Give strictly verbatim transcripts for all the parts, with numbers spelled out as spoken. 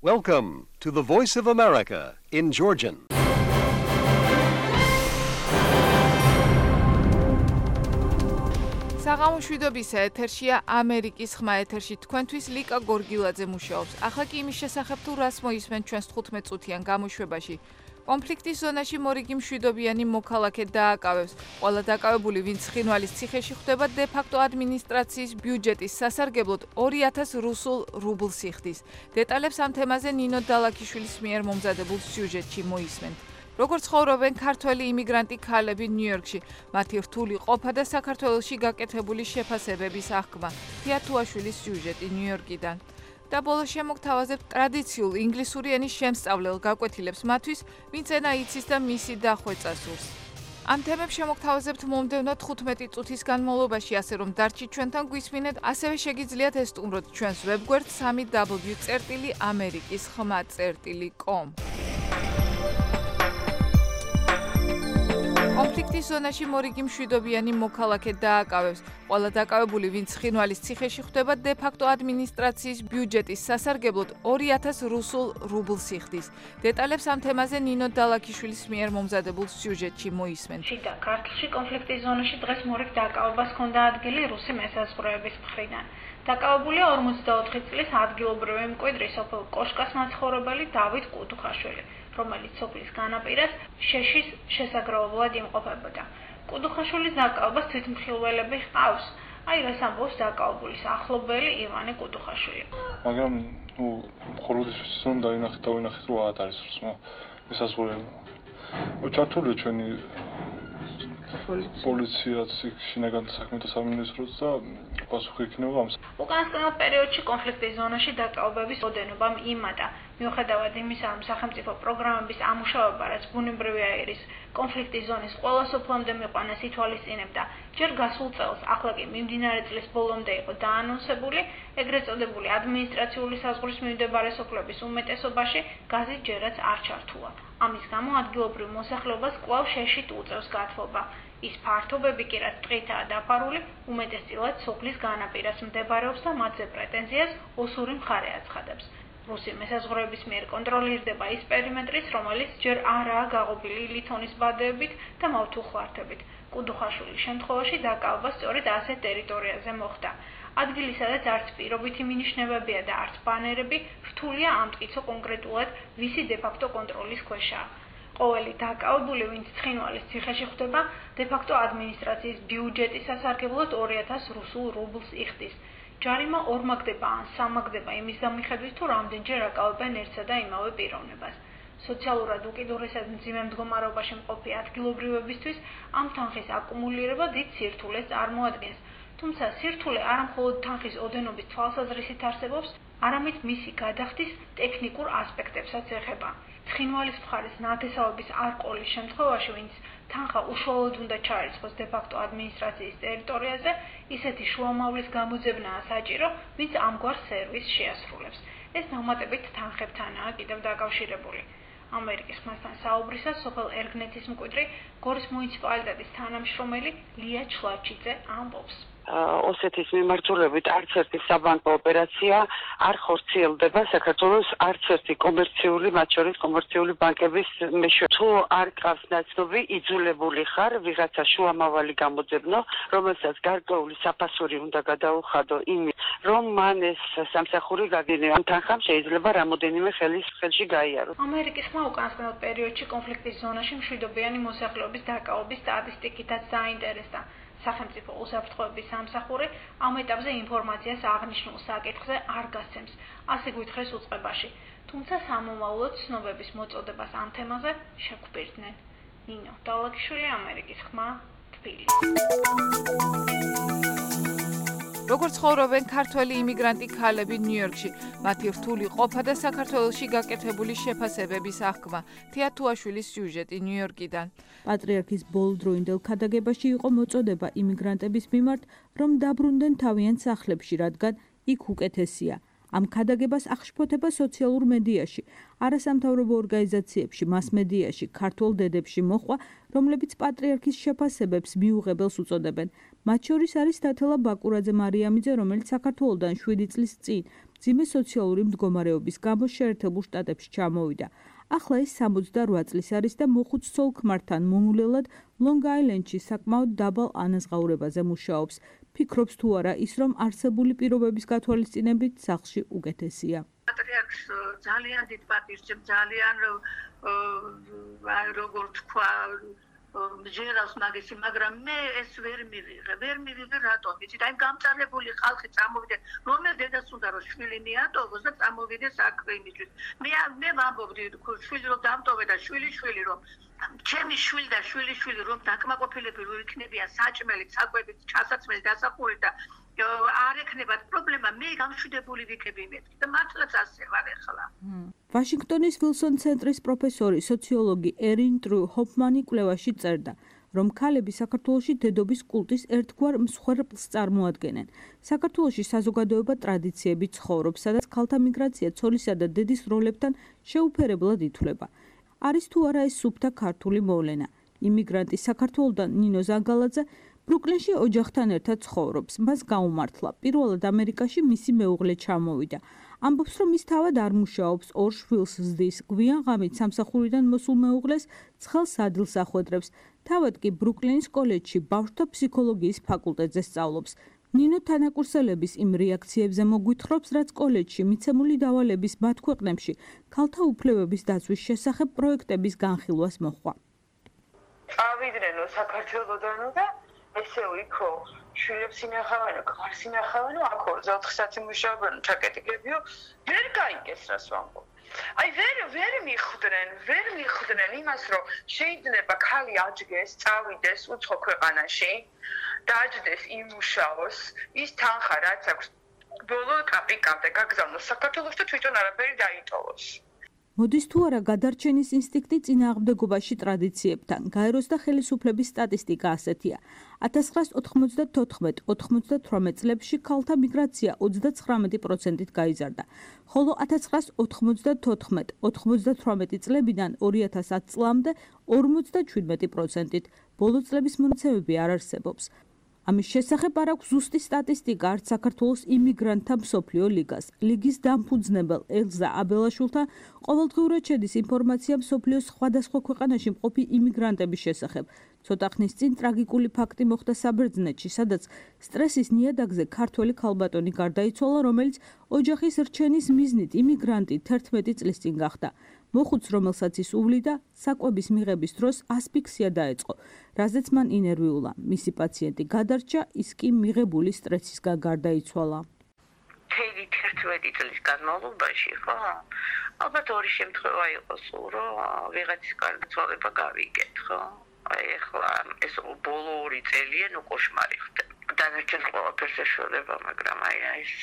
Welcome to the Voice of America in Georgian. საღამოშვიდობის ეთერშია ამერიკის ხმა ეთერში თქვენთვის ლიკა გორგილაძე მუშაობს. ახლა კი იმის შესახებ თუ რას მოისმენთ ჩვენს თხუთმეტ წუთიან გამოშვებაში. კონფლიქტის ზონაში მორიგი მშვიდობიანი მოქალაქე დააკავებს. ყველა დაკავებული, ვინც ცხინვალის ციხეში ხვდება, დე-ფაქტო ადმინისტრაციის ბიუჯეტის სასარგებლოდ ორი ათას რუსულ რუბლს იხდის. დეტალებს ამ თემაზე ნინო დალაქიშვილის მიერ მომზადებულ სიუჟეტში მოისმენთ. როგორ ცხოვრობენ ქართველი იმიგრანტი ქალები ნიუ-იორკში, მათი რთული ყოფა და საქართველოში გაკეთებული შეფასებების აღქმა. თია თუაშვილის სიუჟეტი ნიუ-იორკიდან. და ბოლოს შემოგთავაზებთ ტრადიციულ ინგლისური ენის შემსწავლელ გაკვეთილებს მათთვის, ვინც ენა იცის და მისი დახვეწა სურს. ამ თემებს შემოგთავაზებთ მომდევნო თხუთმეტი წუთის განმავლობაში, ასე რომ დარჩით ჩვენთან გვისმინეთ, ასევე შეგიძლიათ ესტუმროთ ჩვენს ვებგვერდ სამი დაბლიუ წერტილი ამერიკის ხმა წერტილი კომ. კონფლიქტის ზონაში მორიგი მშვიდობიანი მოქალაქე დააკავებს. ყველა დაკავებული, ვინც ცხინვალის ციხეში ხვდება, დე-ფაქტო ადმინისტრაციის ბიუჯეტის სასარგებლოდ ორი ათას რუსულ რუბლს იხდის. დეტალებს ამ თემაზე ნინო დალაქიშვილის მიერ მომზადებულ სიუჟეტში მოისმენთ. შიდა ქართლში კონფლიქტის ზონაში დღეს მორიგ დაკავებას ჰქონდა ადგილი რუსი მესაზღვრეების მხრიდან. დაკავებულია ორმოცდაოთხი წლის ადგილობრივი მკვიდრი სოფელ კოშკას მაცხოვრებელი დავით კუდუხაშვილი, რომელიც სოფლის განაპირას შეშის შესაგროვებლად იმყოფებოდა. კუდუხაშვილის დაკავებას თვითმხილველები ჰყავს. აი რას ამბობს დაკავებულის ახლობელი ივანე კუდუხაშვილი. მაგრამ ნუ მხოლოდ ისე დაინახეთ და ვინახეთ რომ არ არის მესაზღვრეები. ჩართულია ჩვენი პოლიციაც შინაგან საქმეთა სამინისტროც და პასუხი იქნება ამას. უკანასკნელ პერიოდში კონფლიქტის ზონაში დაკავებების ოდენობამ იმატა. მიუხედავად იმისა, რომ სახელმწიფო პროგრამების ამუშავება, რაც ბუნებრივი აირის კონფლიქტის ზონის ყველა სოფლამდე მიყვანას ითვალისწინებდა, ჯერ გასულ წელს, ახლა კი მიმდინარე წლის ბოლომდე იყო დაანონსებული, ეგრეთ წოდებული ადმინისტრაციული საზღვრის მიმდებარე სოფლების უმეტესობაში გაზი ჯერაც არ ჩართულა. ამის გამო ადგილობრივ მოსახლეობას კვლავ შეშით უწევს გათბობა. ის ფართობები კი რაც ტყითაა დაფარული, უმეტესწილად სოფლის განაპირას მდებარეობს და მათზე პრეტენზიას ოსური მხარე აცხადებს. რუსი მესაზღვრეების მიერ კონტროლირდება ის პერიმეტრიც, რომელიც ჯერ არაა გაღობილი ლითონის ბადეებით და მავთულხვართებით. კუდუხაშვილის შემთხვევაში დაკავება სწორედ ასეთ ტერიტორიაზე მოხდა. ადგილი, სადაც არც პირობითი მინიშნებებია და არც ბანერები, რთულია ამტკიცო კონკრეტულად ვისი დე-ფაქტო კონტროლის ქვეშაა. ყოველი დაკავებული, ვინც ცხინვალის ციხეში ხვდება, დე-ფაქტო ადმინისტრაციის ბიუჯეტის სასარგებლოდ ორი ათას რუსულ რუბლს იხდის. ჯარიმა ორმაგდება ან სამაგდება იმის გამიხედვით, თუ რამდენჯერ აკავებენ ერთსა და იმავე პიროვნებას. სოციალურად უკიდურესად მძიმე მდგომარეობაში მყოფი ადგილობრივებისთვის ამ თანხის აკუმულირება დიდ სირთულეს წარმოადგენს. თუმცა სირთულე არა მხოლოდ თანხის ოდენობის თვალსაზრისით არსებობს, არამედ მისი გადახდის ტექნიკურ ასპექტებსაც ეხება. ცხინვალის მხარის ნათესავების არ ყოლის შემთხვევაში, ვინც თანხა უშუალოდ უნდა ჩაირიცხოს დე-ფაქტო ადმინისტრაციის ტერიტორიაზე, ისეთი შუამავლის გამოძებნაა საჭირო, ვინც ამგვარ სერვისს შეასრულებს. ეს დამატებით თანხებთანაა კიდევ დაკავშირებული. ამერიკის ხმასთან საუბრისას სოფელ ერგნეთის მკვიდრი გორის მუნიციპალიტეტის თანამშრომელი ლია ჩლაჩიძე ამბობს. ოსეთის მიმართულებით არც ერთი საბანკო ოპერაცია არ ხორციელდება საქართველოს არც ერთი კომერციული, მათ შორის კომერციული ბანკების მეშვეობით. თუ არ გყავს ნაცნობი, იძულებული ხარ ვიღაცა შუამავალი გამოძებნო, რომელსაც გარკვეული საფასური უნდა გადაუხადო იმის, რომ მან ეს სამსახური გაგინო. ამ თანხამ შეიძლება რამოდენიმე ხელის ხელში გაიაროს. ამერიკის ხმა უკანასკნელ პერიოდში კონფლიქტის ზონაში მშვიდობიანი მოსახლეობის დაკავების სტატისტიკითაც დაინტერესდა. სახელმწიფო უსაფრთხოების სამსახური ამ ეტაპზე ინფორმაციას აღნიშნულ საკითხზე არ გასცემს, ასე გვითხრეს უწყებაში. თუმცა სამომავლოდ ცნობების მოწოდებას ამ თემაზე შეგვბირდნენ. ნინო დალაქიშვილი, ამერიკის ხმა, თბილისი. როგორ ცხოვრობენ ქართველი იმიგრანტი ქალები ნიუ-იორკში, მათი რთული ყოფა და საქართველოში გაკეთებული შეფასებების აღქმა. თია თუაშვილის სიუჟეტი ნიუ-იორკიდან. პატრიარქის ბოლოდროინდელ ქადაგებაში იყო მოწოდება იმიგრანტების მიმართ, რომ დაბრუნდნენ თავიანთ სახლებში, რადგან იქ უკეთესია. ამ ქადაგებას აღშფოთება სოციალურ მედიაში, არასამთავრობო ორგანიზაციებში, მასმედიაში, ქართულ დედებში მოხვა, რომლებიც პატრიარქის შეფასებებს მიუღებელს უწოდებენ. მათ შორის არის დათელა ბაკურაძე მარიამიძე, რომელიც საქართველოდან შვიდი წლის წინ მძიმე სოციალური მდგომარეობის გამო შეერთებულ შტატებში ჩამოვიდა. ახლა ის სამოცდარვა წლის არის და მოხუც ცოლ ქმართან მომულელად ლონგ-აილენდში საკმაოდ დაბალ ანაზღაურებაზე მუშაობს. ფიქრობს თუ არა ის, რომ არსებული პირობების გათვალისწინებით სახლში უკეთესია. პატრიარქს ძალიან დიდ პატივს ჭერს, ძალიან როგორ თქვა ჯერავს მაგისი, მაგრამ მე ეს ვერ მივიღე, ვერ მივიღე რატომ? იცით, აი გამწარებული ხალხი წამოვიდა, რომელ დედას უნდა რომ შვილი მიატოვოს და წამოვიდეს აქ იმისთვის. მე მე ვამბობდი, შვილი რომ დამტოვე და შვილი შვილი რომ ჩემი შვილი და შვილი შვილი რომ დაკმაყოფილები რო იქნებიან საჭმელით, საკვებით, ჩასაცმელი დასახური და არ ექნებათ პრობლემა, მე გამშვიდებული ვიქები მე და მართლაც ასე ვარ ახლა. ვაშინგტონის ვილსონ ცენტრის პროფესორი, სოციოლოგი ერინ ტრუ ჰოფმანი კვლევაში წერდა, რომ ქალები საქართველოში დედობის კულტის ერთგვარ მსხვერპლს წარმოადგენენ. საქართველოში საზოგადოება ტრადიციებით ცხოვრობს, სადაც ქალთა მიგრაცია ცოლისა და დედის როლებთან შეუფერებლად ითვლება. არის თუ არა ეს სუფთა ქართული მოვლენა. იმიგრანტი საქართველოდან ნინო ზანგალაძე ბრუკლინში ოჯახთან ერთად ცხოვრობს. მას გაუმართლა. პირველად ამერიკაში მისი მეუღლე ჩამოვიდა. ამბობს, რომ ის თავად არ მუშაობს, ორ შვილს ზრდის. გვიან ღამით სამსახურიდან მოსულ მეუღლეს ცხელ სადილს ახვედრებს. თავად კი ბრუკლინის კოლეჯში ბავშვთა ფსიქოლოგიის ფაკულტეტზე სწავლობს. ნინო თანაკურსელების იმ რეაქციებზე მოგვითხრობს, რაც კოლეჯში მიცემული დავალების მათ ქვეყნებში ქალთა უფლებების დაცვის შესახებ პროექტების განხილვას მოჰყვა. წავიდნენ საქართველოდანო და ესე იქო შვილებს ინახავენო, ქმარს ინახავენო, აქ ოთხ საათი მუშაობენ, ჩაკეტიკებიო, ვერ გაიგეს რას ვამბობ. აი ვერ ვერ მიხვდნენ, ვერ მიხვდნენ იმას, რომ შეიძლება ქალი აჯგეს, წავიდეს უცხო ქვეყანაში, დააჯდეს იმუშაოს, ის თანხა რაც აქვს, ბოლო კაპიკამდე გაგზავნოს საქართველოს და თვითონ არაფერი დაიტოვოს. მოდის თუ არა გადარჩენის ინსტინქტი წინააღმდეგობაში ტრადიციებთან. გაეროს და ხელისუფლების სტატისტიკა ასეთია. ათას ცხრაას ოთხმოცდათოთხმეტ ოცდათვრამეტ წლებში ქალთა მიგრაცია ოცდაცხრამეტი პროცენტით გაიზარდა, ხოლო ათას ცხრაას ოთხმოცდათოთხმეტ ოცდათვრამეტი წლებიდან ორი ათას ათ წლამდე ორმოცდაჩვიდმეტი პროცენტით. ბოლო წლების მონაცემები არ არსებობს. ამის შესახებ არ აქვს ზუსტი სტატისტიკა არც საქართველოს იმიგრანტთა მსოფლიო ლიგას. ლიგის დამფუძნებელ ელზა აბელაშვილთან ყოველდღიურად შედის ინფორმაცია მსოფლიოს სხვადასხვა ქვეყანაში მყოფი იმიგრანტების შესახებ. ცოტა ხნის წინ ტრაგიკული ფაქტი მოხდა საბერძნეთში, სადაც სტრესის ნიადაგზე ქართველი ქალბატონი გარდაიცვალა, რომელიც ოჯახის რჩენის მიზნით იმიგრანტი თერთმეტი წლის წინ გახდა. მოხუც, რომელსაც ის უვლიდა, საკვების მიღების დროს ასფიქსია დაეწყო, რაზეც მან ინერვიულა. მისი პაციენტი გადარჩა, ის კი მიღებული სტრესისგან გარდაიცვალა. თედი თერთმეტი წლის განმავლობაში, ხო? ალბათ ორი შემთხვევა იყოს, რომ ვიღაცის გარდაცვალება გავიგეთ, ხო? აი ახლა ეს ბოლო ორი წელია ნუ კოშმარი ხდება. დანარჩენ ყველაფერს ეშველება, მაგრამ აი ეს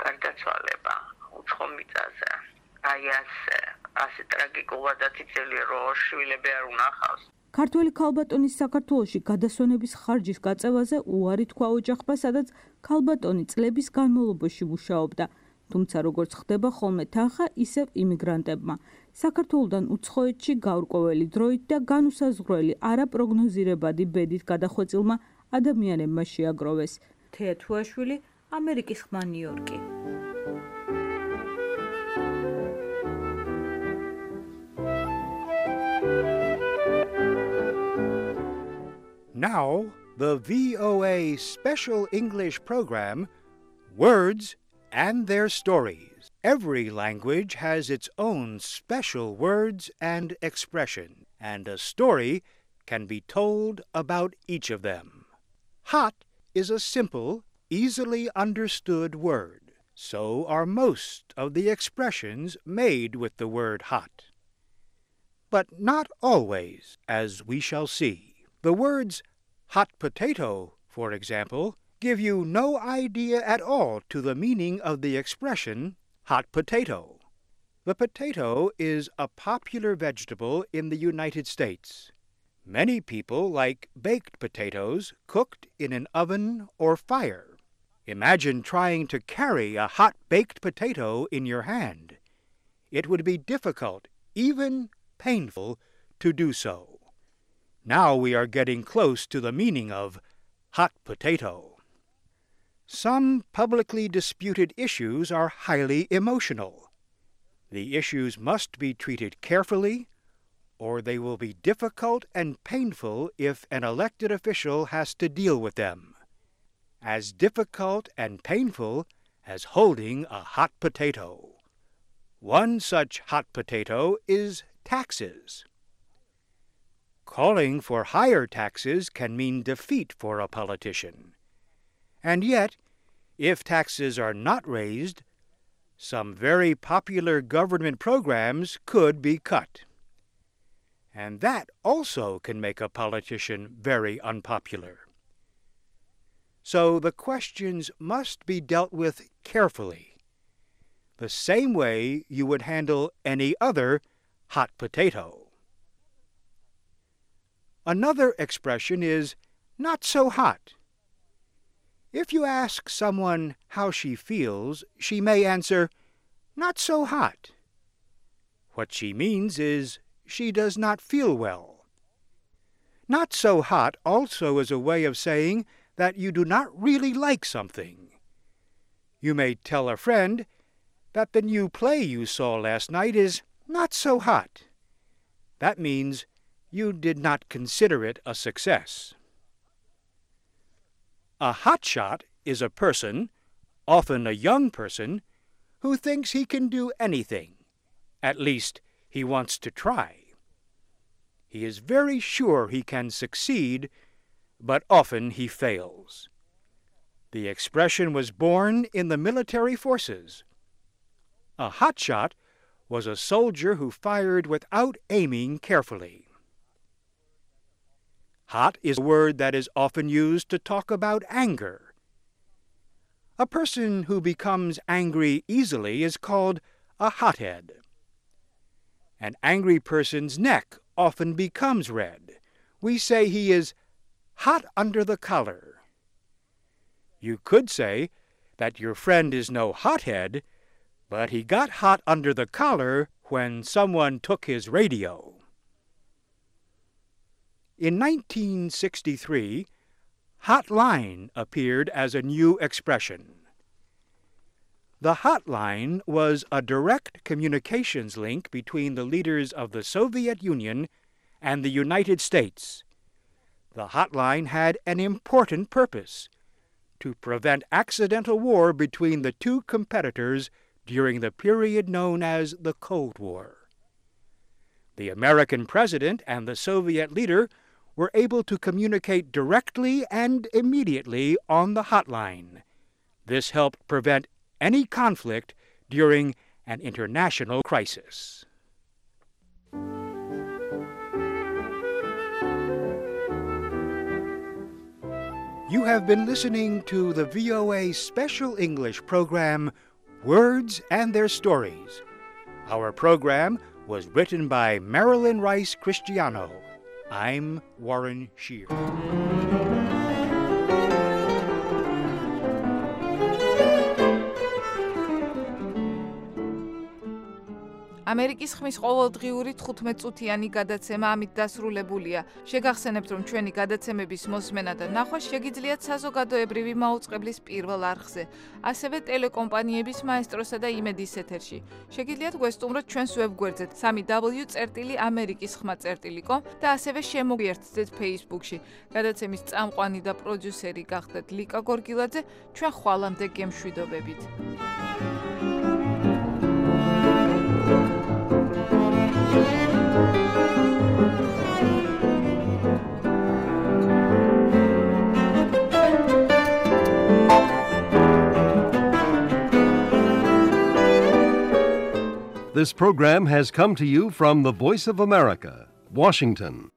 გარდაცვალება უცხო მიწაზე. აი ასე, ასე ტრაგიკულადაც იწელია, რომ შვილები არ უნახავს. ქართველი ქალბატონის საქართველოში გადასვენების ხარჯის გაწევაზე უარი თქვა ოჯახმა, სადაც ქალბატონი წლების განმავლობაში მუშაობდა. თუმცა როგორც ხდება ხოლმე თანხა ისევ იმიგრანტებმა. საქართველოდან უცხოეთში გაურკვეველი დროით და განუსაზღვრელი არაპროგნოზირებადი ბედით გადახვეწილმა ადამიანებმა შეაგროვეს. თეა თუაშვილი, ამერიკის ხმა ნიუ-იორკი. Now, the V O A special English program, Words and Their Stories. Every language has its own special words and expression, and a story can be told about each of them. Hot is a simple, easily understood word. So are most of the expressions made with the word hot. But not always, as we shall see. The words hot potato, for example, give you no idea at all to the meaning of the expression hot potato. The potato is a popular vegetable in the United States. Many people like baked potatoes cooked in an oven or fire. Imagine trying to carry a hot baked potato in your hand. It would be difficult, even painful, to do so. Now we are getting close to the meaning of hot potato. Some publicly disputed issues are highly emotional. The issues must be treated carefully, or they will be difficult and painful if an elected official has to deal with them. As difficult and painful as holding a hot potato. One such hot potato is taxes. Calling for higher taxes can mean defeat for a politician. And yet, if taxes are not raised, some very popular government programs could be cut. And that also can make a politician very unpopular. So the questions must be dealt with carefully, the same way you would handle any other hot potato. Another expression is not so hot. If you ask someone how she feels, she may answer, not so hot. What she means is she does not feel well. Not so hot also is a way of saying that you do not really like something. You may tell a friend that the new play you saw last night is not so hot. That means you did not consider it a success. A hotshot is a person, often a young person, who thinks he can do anything. At least, he wants to try. He is very sure he can succeed, but often he fails. The expression was born in the military forces. A hotshot was a soldier who fired without aiming carefully. Hot is a word that is often used to talk about anger. A person who becomes angry easily is called a hothead. An angry person's neck often becomes red. We say he is hot under the collar. You could say that your friend is no hothead, but he got hot under the collar when someone took his radio. In nineteen sixty-three, hotline appeared as a new expression. The hotline was a direct communications link between the leaders of the Soviet Union and the United States. The hotline had an important purpose: to prevent accidental war between the two competitors during the period known as the Cold War. The American president and the Soviet leader were able to communicate directly and immediately on the hotline. This helped prevent any conflict during an international crisis. You have been listening to the V O A Special English program, Words and Their Stories. Our program was written by Marilyn Rice Cristiano. I'm Warren Shear. ამერიკის ხმის ყოველდღიური თხუთმეტ-წუთიანი გადაცემა ამით დასრულებულია. შეგახსენებთ, რომ ჩვენი გადაცემების მოსმენა და ნახვა შეგიძლიათ საზოგადოებრივი მაუწყებლის პირველ არხზე, ასევე ტელეკომპანიების მაესტროსა და იმედის ეთერში. შეგიძლიათ გვესტუმროთ ჩვენს ვებგვერდზე სამი დაბლიუ წერტილი ამერიკის ხმა წერტილი კომ და ასევე შემოგვიერთდეთ Facebook-ში. გადაცემის წამყვანი და პროდიუსერი გახდეთ ლიკა გორგილაძე. ჩვენ ხვალამდე გემშვიდობებით. This program has come to you from the Voice of America, Washington.